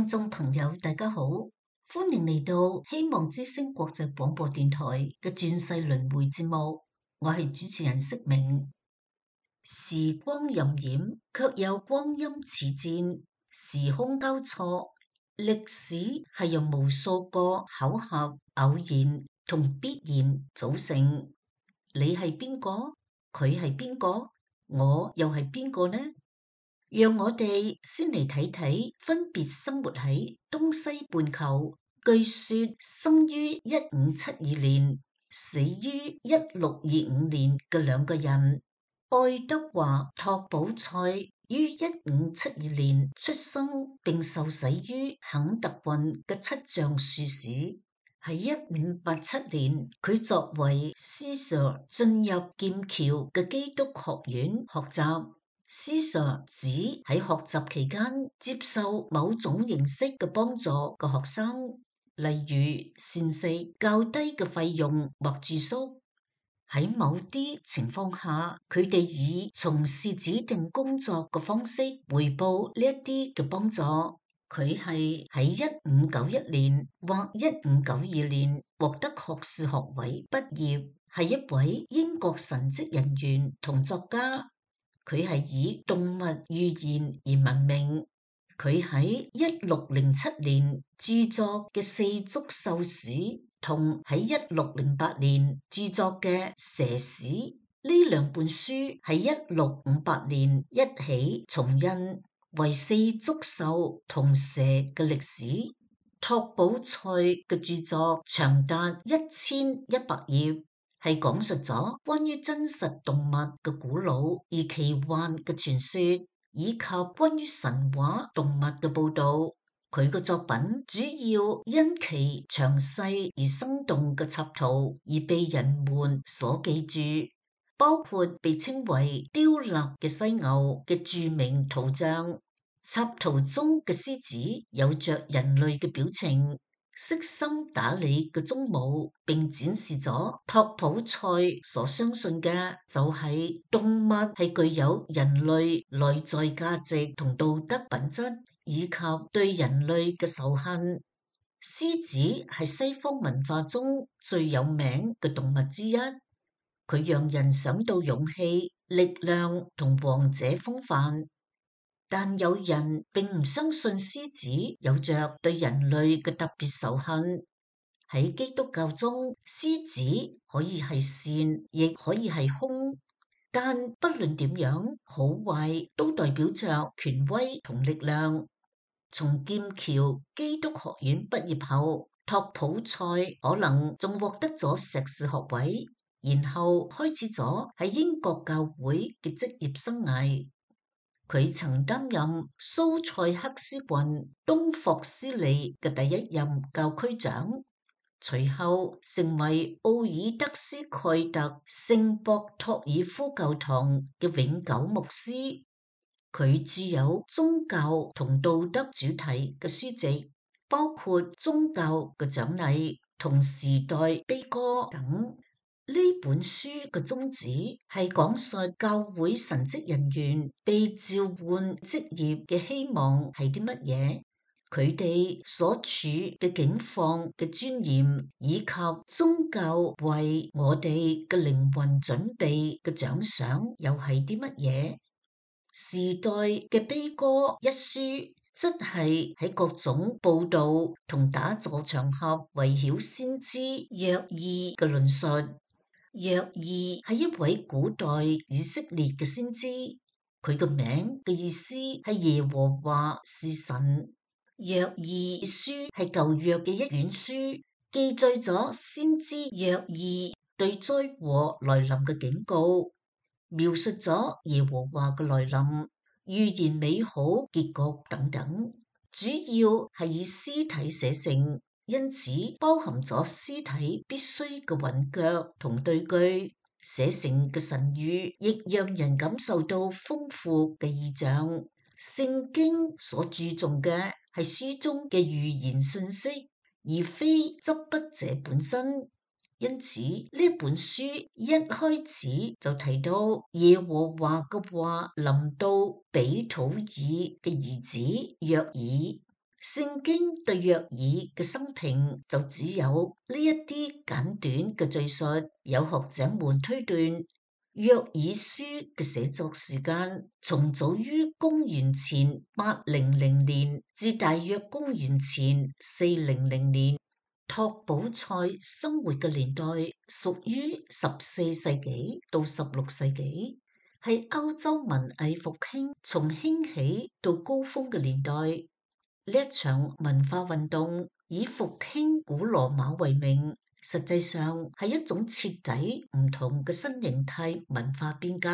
聽眾朋友，大家好，歡迎嚟到希望之聲國際廣播電台嘅轉世輪迴節目，我係主持人釋明。時光荏苒，卻有光陰似箭，時空交錯，歷史係由無數個巧合、偶然同必然組成。你係邊個？佢係邊個？我又係邊個呢？讓我哋先嚟睇睇分別生活喺東西半球，據說生於1572年，死於1625年嘅兩個人。愛德華·托普塞於1572年出生並受洗於肯特郡嘅七橡樹市。喺1587年，佢作為司鑰進入劍橋嘅基督學院學習。司鑰指喺學習期間接受某種形式嘅幫助嘅學生，例如膳食、較低嘅費用或住宿。喺某啲情況下，佢哋以從事指定工作嘅方式回報呢一啲嘅幫助。佢係喺1591年或1592年獲得學士學位畢業，係一位英國神職人員同作家。佢係以動物寓言而聞名。佢喺1607年著作嘅《四足獸史》同喺1608年著作嘅《蛇史》呢兩本書喺1658年一起重印，為四足獸同蛇嘅歷史。托普塞嘅著作長達1100頁。係講述咗關於真實動物嘅古老而奇幻嘅傳說，以及關於神話動物嘅報導。佢嘅作品主要因其詳細而生動嘅插圖而被人們所記住，包括被稱為雕立嘅犀牛嘅著名圖像。插圖中嘅獅子有着人類嘅表情，悉心打理嘅鬃毛，並展示咗托普塞所相信嘅就係動物係具有人類內在價值同道德品質，以及對人類嘅仇恨。獅子係西方文化中最有名嘅動物之一，佢讓人想到勇氣、力量同王者風範。但有人並唔相信獅子有着對人類嘅特別仇恨。喺基督教中，獅子可以係善，亦可以係兇，但不論點樣，好壞都代表着權威同力量。從劍橋基督學院畢業後，托普塞可能仲獲得咗碩士學位，然後開始咗喺英國教會嘅職業生涯。佢曾擔任蘇塞克斯郡東霍斯利嘅第一任教區長，隨後成為奧爾德斯蓋特聖博托爾夫教堂嘅永久牧師。佢著有宗教同道德主題嘅書籍，包括宗教嘅獎勵同時代悲歌等。呢本書嘅宗旨係講述教會神職人員被召喚職業嘅希望係啲乜嘢，佢哋所處嘅境況嘅尊嚴，以及宗教為我哋嘅靈魂準備嘅獎賞又係啲乜嘢。時代嘅悲歌一書則係喺各種報道同打坐場合圍繞先知約爾嘅論述。約爾係一位古代以色列嘅先知，佢個名嘅意思係耶和華是神。約爾書係舊約嘅一卷書，記載咗先知約爾對災禍來臨嘅警告，描述咗耶和華嘅來臨、預言美好結局等等，主要係以屍體寫成。因此包含咗屍體必須嘅韻腳同對句，寫成嘅神語亦讓人感受到豐富嘅意象。聖經所注重嘅係書中嘅預言信息，而非執筆者本身。因此呢本書一開始就提到耶和華嘅話臨到比土爾嘅兒子約爾。聖經對約珥嘅生平就只有呢一啲簡短嘅敘述。有學者們推斷，約珥書嘅寫作時間從早於公元前800年至大約公元前400年。托寶塞生活嘅年代屬於14世紀到16世紀，係歐洲文藝復興從興起到高峰嘅年代。呢一場文化運動以復興古羅馬為名，實際上係一種徹底唔同嘅新形態文化變革。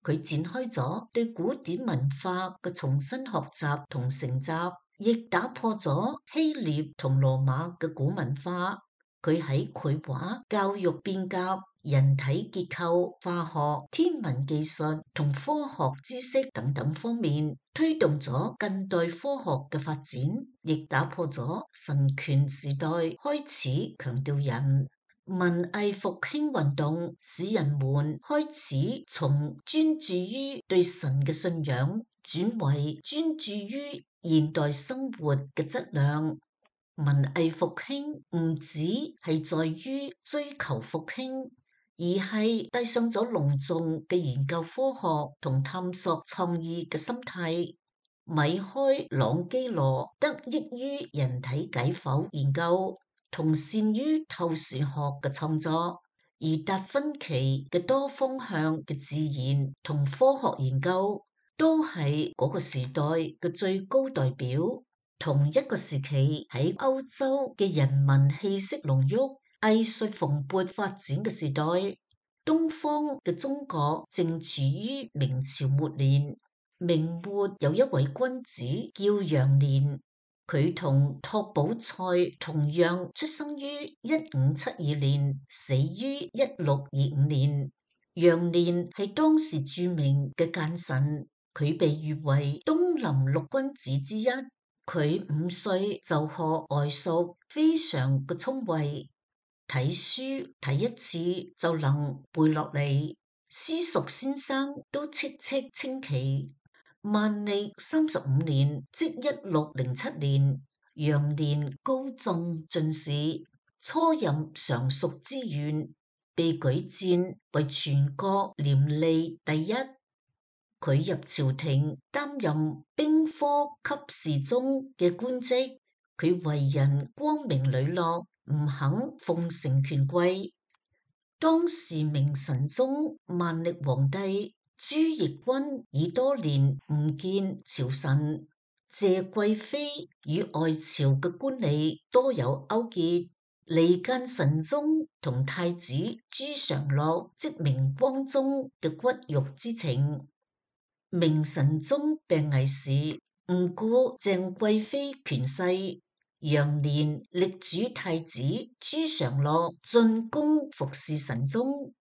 佢展開咗對古典文化嘅重新學習同承襲，亦打破咗希臘同羅馬嘅古文化。佢喺繪畫、教育變革、人體結構、化學、天文技術同科學知識等等方面推動咗近代科學嘅發展，亦打破咗神權時代開始強調人。文藝復興運動使人們開始從專注於對神嘅信仰轉為專注於現代生活嘅質量。文藝復興唔止係在於追求復興，而係帶上咗隆重嘅研究科學同探索創意嘅心態。米開朗基羅得益於人體解剖研究同善於透視學嘅創作，而達芬奇嘅多方向嘅自然同科學研究都係嗰個時代嘅最高代表。同一個時期喺歐洲嘅人文氣息濃郁、藝術蓬勃發展嘅時代，東方嘅中國正處於明朝末年。明末有一位君子叫楊年，佢同托寶塞同樣出生於1572年，死於1625年。楊年係當時著名嘅諫臣，佢被譽為東林六君子之一。佢5歲就學外塾，非常嘅聰慧，睇書睇一次就能背落嚟。私塾先生都戚戚稱奇。萬曆35年，即1607年，楊年高中進士，初任尚淑之縣，被舉薦為全國廉吏第一。佢入朝廷擔任兵科給事中嘅官職，佢為人光明磊落，唔肯奉承權貴。當時明神宗萬曆皇帝朱翊鈞已多年唔見朝臣，謝貴妃與外朝嘅官吏多有勾結，離間神宗同太子朱常洛即明光宗嘅骨肉之情。明神宗病危時，唔顧鄭貴妃權勢，楊年力主太子朱常洛進宮服侍神宗。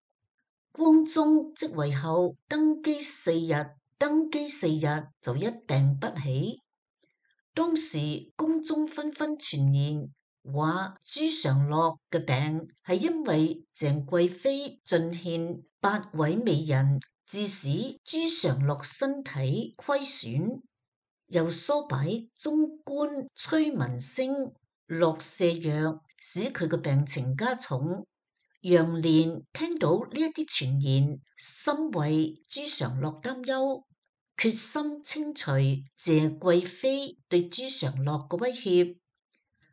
光宗即位後登基4日就一病不起。當時宮中紛紛傳言，話朱常洛嘅病係因為鄭貴妃進獻8位美人，致使朱常洛身體虧損，又唆擺中官崔文升落瀉藥，使佢嘅病情加重。楊年聽到呢一啲傳言，深為朱常洛擔憂，決心清除謝貴妃對朱常洛嘅威脅，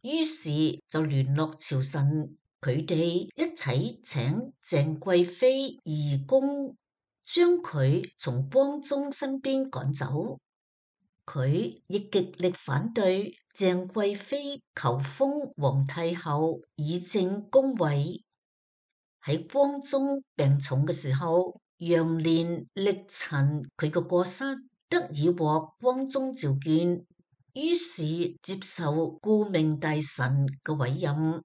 於是就聯絡朝臣，佢哋一齊請鄭貴妃移宮，將佢從光宗身邊趕走。佢亦極力反對鄭貴妃求封皇太后，以正宮位。喺光宗病重嘅時候，楊年力陳佢嘅過失，得以獲光宗召見，於是接受顧命大臣嘅委任。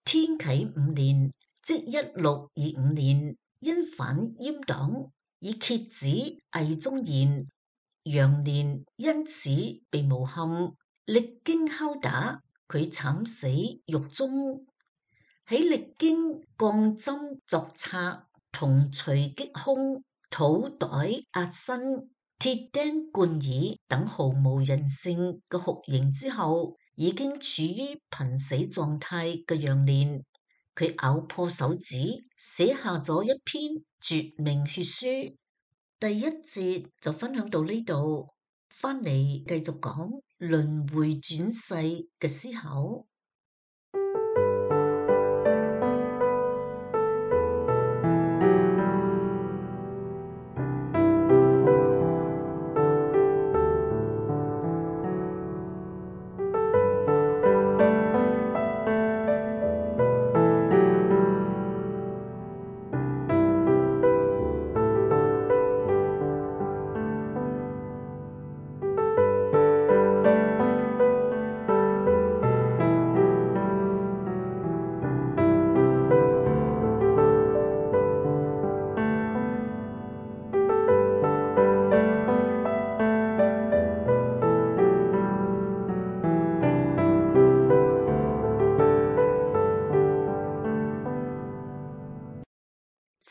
天啟5年，即1625年，因反閹黨，以蠍子魏忠賢，楊年因此被誣陷，歷經拷打，佢慘死獄中。喺歷經鋼針鑿拆同錘擊胸、土袋壓身、鐵釘貫耳等毫無人性嘅酷刑之後，已經處於瀕死狀態嘅楊蓮，佢咬破手指，寫下咗一篇絕命血書。第一節就分享到呢度，翻嚟繼續講輪迴轉世嘅思考。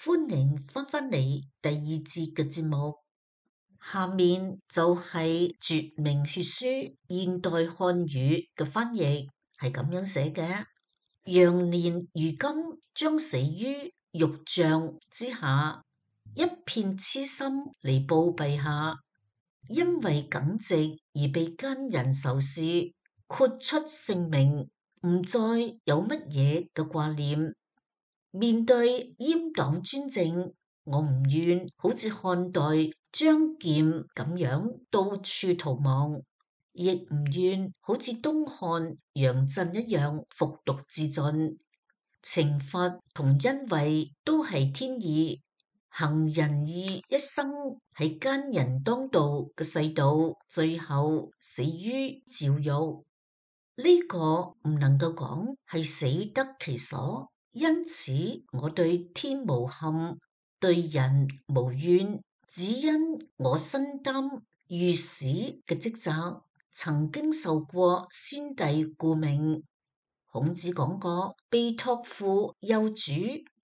歡迎翻返嚟第二節嘅節目，下面就係絕命血書現代漢語嘅翻譯，係咁樣寫嘅：楊蓮如今將死於獄帳之下，一片痴心嚟報陛下，因為耿直而被奸人仇視，豁出性命，唔再有乜嘢嘅掛念。面對閹黨專政，我唔願好似漢代張儉咁樣到處逃亡，亦唔願好似東漢楊震一樣服毒自盡。懲罰同恩惠都係天意，行仁義一生喺奸人當道嘅世道，最後死於牢獄。呢個唔能夠講係死得其所。因此，我對天無憾，對人無怨，只因我身擔御史嘅職責，曾經受過先帝顧命。孔子講過，被託付幼主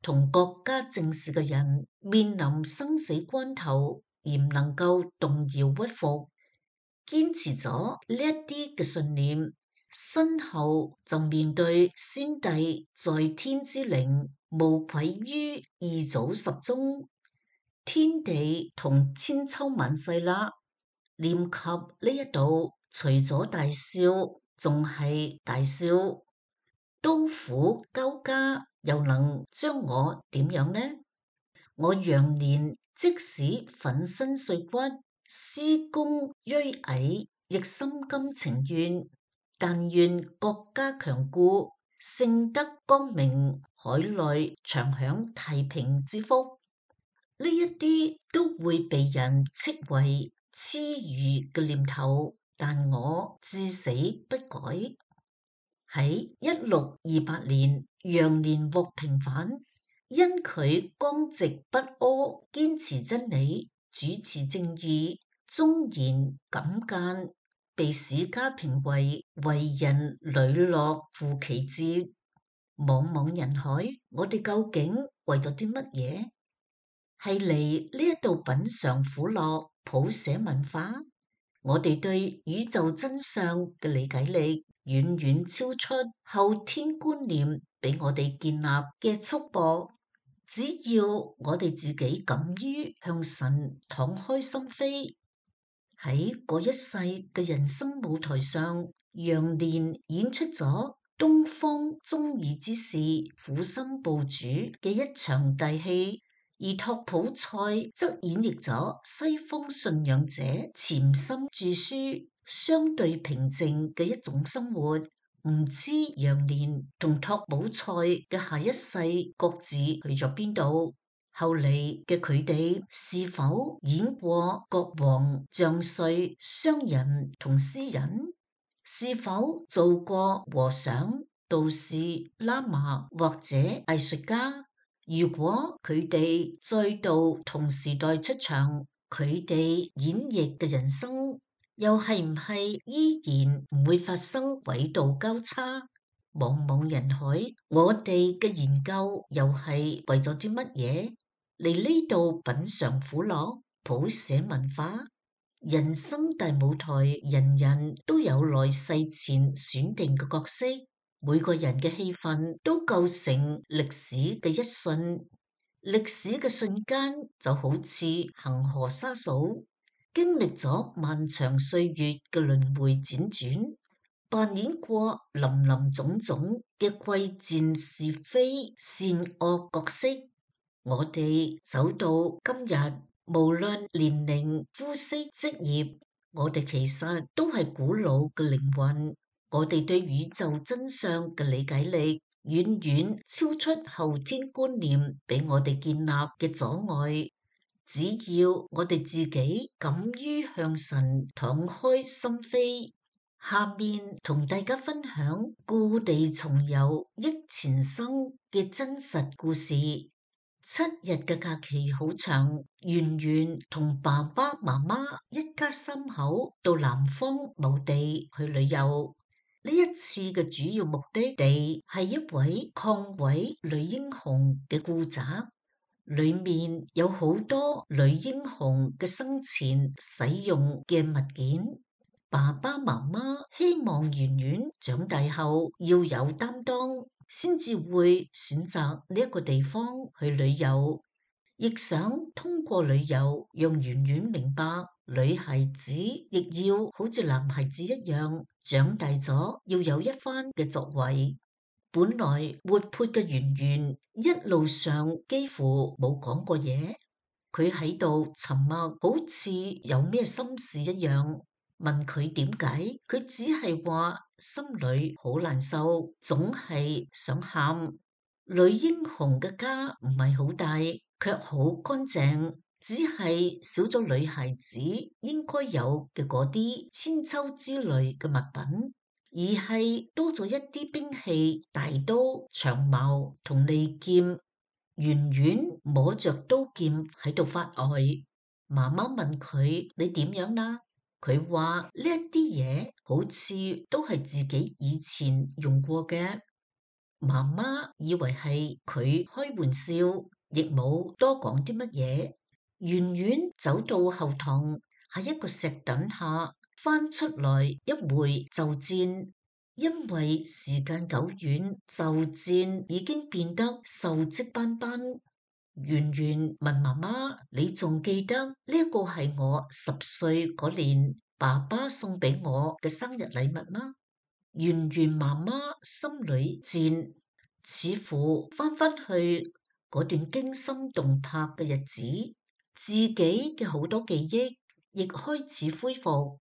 同國家政事嘅人，面臨生死關頭而唔能夠動搖屈服，堅持咗呢一啲嘅信念，身後就面對先帝在天之靈，無愧於二祖十宗，天地同千秋萬世啦。念及呢一度，除咗大笑，仲係大笑。刀斧交加，又能將我點樣呢？我楊蓮即使粉身碎骨，屍弓銳矮，亦心甘情願。但願國家強固，聖德光明，海內長享太平之福。呢一啲都會被人斥為痴愚嘅念頭，但我至死不改。喺1628年，楊蓮獲平反，因佢剛直不阿，堅持真理，主持正義，忠言敢諫，被史家評為為人磊落負其節。茫茫人海，我哋究竟為咗啲乜嘢？係嚟呢一度品嘗苦樂，譜寫文化。我哋對宇宙真相嘅理解力遠遠超出後天觀念俾我哋建立嘅束縛。只要我哋自己敢於向神敞開心扉，喺嗰一世嘅人生舞台上，楊蓮演出咗東方忠義之士苦心部署嘅一場大戲，而托普塞則演繹咗西方信仰者潛心著書相對平靜嘅一種生活。唔知楊蓮同托普塞嘅下一世各自去咗邊度？後嚟嘅佢哋是否演過國王、將帥、商人同詩人？是否做過和尚、道士、喇嘛或者藝術家？如果佢哋再度同時代出場，佢哋演繹嘅人生又係唔係依然唔會發生軌道交叉？茫茫人海，我哋嘅研究又係為咗啲乜嘢？嚟呢度品嘗苦樂，譜寫文化。人生大舞台，人人都有來世前選定嘅角色，每個人嘅戲份都構成歷史嘅一瞬。歷史嘅瞬間就好似恆河沙數，經歷咗漫長歲月嘅輪迴輾轉，扮演過林林種種嘅貴賤是非善惡角色。我哋走到今日，無論年齡、膚色、職業，我哋其實都係古老嘅靈魂。我哋對宇宙真相嘅理解力，遠遠超出後天觀念俾我哋建立嘅阻礙。只要我哋自己敢於向神敞開心扉，下面同大家分享故地重遊憶前生嘅真實故事。7日嘅假期好長，圓圓同爸爸媽媽一家3口到南方某地去旅遊。呢一次嘅主要目的地係一位抗委女英雄嘅故宅，裏面有好多女英雄嘅生前使用嘅物件。爸爸媽媽希望圓圓長大後要有擔當，先至會選擇呢一個地方去旅遊，亦想通過旅遊讓圓圓明白，女孩子亦要好似男孩子一樣，長大咗要有一番嘅作為。本來活潑嘅圓圓一路上幾乎冇講過嘢，佢喺度沉默，好似有咩心事一樣。問佢點解，佢只係話心裏好難受，總係想喊。女英雄嘅家唔係好大，卻好乾淨，只係少咗女孩子應該有嘅嗰啲千秋之類嘅物品，而係多咗一啲兵器、大刀、長矛同利劍。圓圓摸着刀劍喺度發呆。媽媽問佢：你點樣啦？佢話呢一啲嘢好似都係自己以前用過嘅。媽媽以為係佢開玩笑，亦冇多講啲乜嘢。圓圓走到後堂，喺一個石墩下翻出來一回袖箭，因為時間久遠，袖箭已經變得鏽跡斑斑。圓圓問媽媽：你仲記得呢一個係我10歲嗰年爸爸送俾我嘅生日禮物嗎？圓圓媽媽心裏戰，似乎翻返去嗰段驚心動魄嘅日子，自己嘅好多記憶亦開始恢復。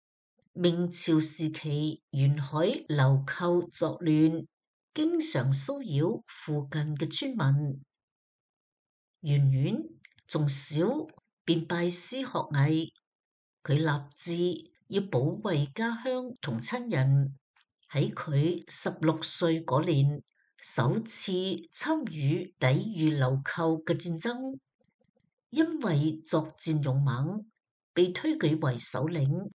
明朝時期，沿海流寇作亂，經常騷擾附近嘅村民。圓圓從小便拜師學藝，佢立志要保衛家鄉同親人。喺佢16歲嗰年，首次參與抵禦流寇嘅戰爭，因為作戰勇猛，被推舉為首領。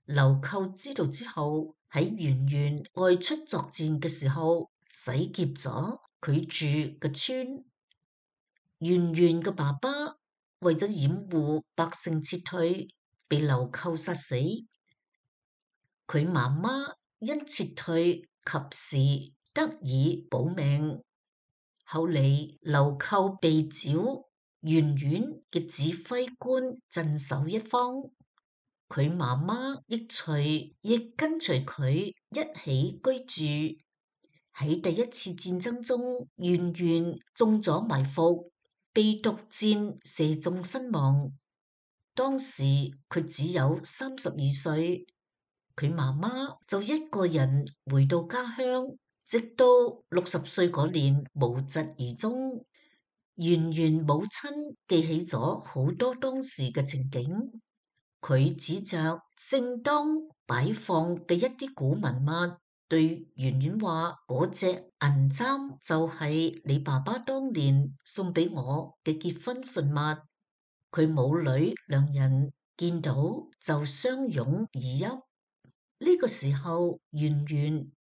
流寇知道之後，喺圓圓外出作戰嘅時候，洗劫咗佢住嘅村。圓圓嘅爸爸為咗掩護百姓撤退，被流寇殺死。佢媽媽因撤退及時得以保命。後嚟流寇被剿，圓圓嘅指揮官鎮守一方，佢媽媽亦跟隨佢一起居住。喺第一次戰爭中，圓圓中咗埋伏，被毒箭射中身亡。當時佢只有32歲。佢媽媽就一個人回到家鄉，直到60歲嗰年無疾而終。圓圓母親記起咗好多當時嘅情景，佢指着正當擺放嘅一啲古文物，對圓圓話：嗰隻銀簪就係你爸爸當年送俾我嘅結婚信物。佢母女兩人見到就相擁而泣。呢個時候，圓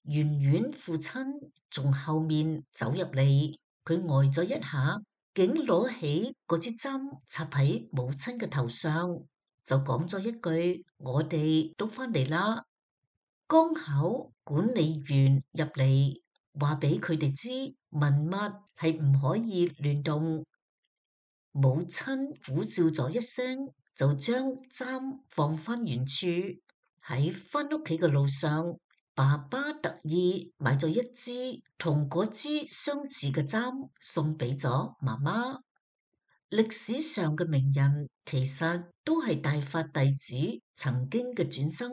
圓父親從後面走入嚟，佢呆咗一下，竟攞起嗰支針插喺母親嘅頭上。就講咗一句：我哋都返嚟啦。剛巧管理員入嚟，話俾佢哋知文物係唔可以亂動。母親苦笑咗一聲，就將簪放返原處。喺返屋企嘅路上，爸爸特意買咗一支同嗰支相似嘅簪送俾咗媽媽。歷史上嘅名人其實都係大法弟子曾經嘅轉生，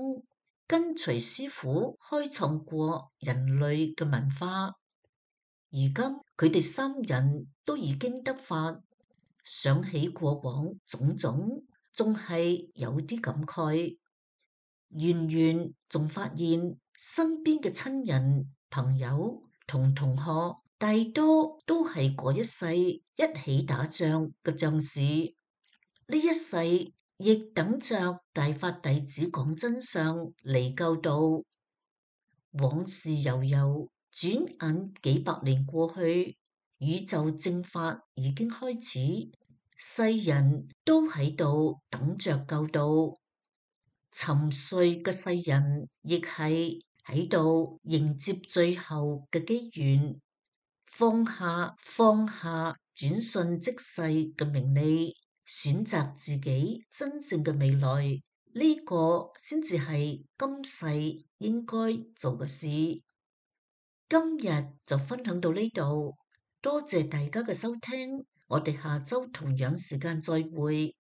跟隨師傅開創過人類嘅文化。如今佢哋三人都已經得法，想起過往種種，仲係有啲感慨。圓圓仲發現身邊嘅親人、朋友同同學，大多都係嗰一世一起打仗嘅將士。呢一世亦等着大法弟子講真相嚟救度。往事悠悠，轉眼幾百年過去，宇宙正法已經開始，世人都喺度等着救度。沉睡嘅世人亦係喺度迎接最後嘅機緣，放下轉瞬即逝嘅名利，選擇自己真正嘅未來，呢個先至係今世應該做嘅事。今日就分享到呢度，多謝大家嘅收聽，我哋下周同樣時間再會。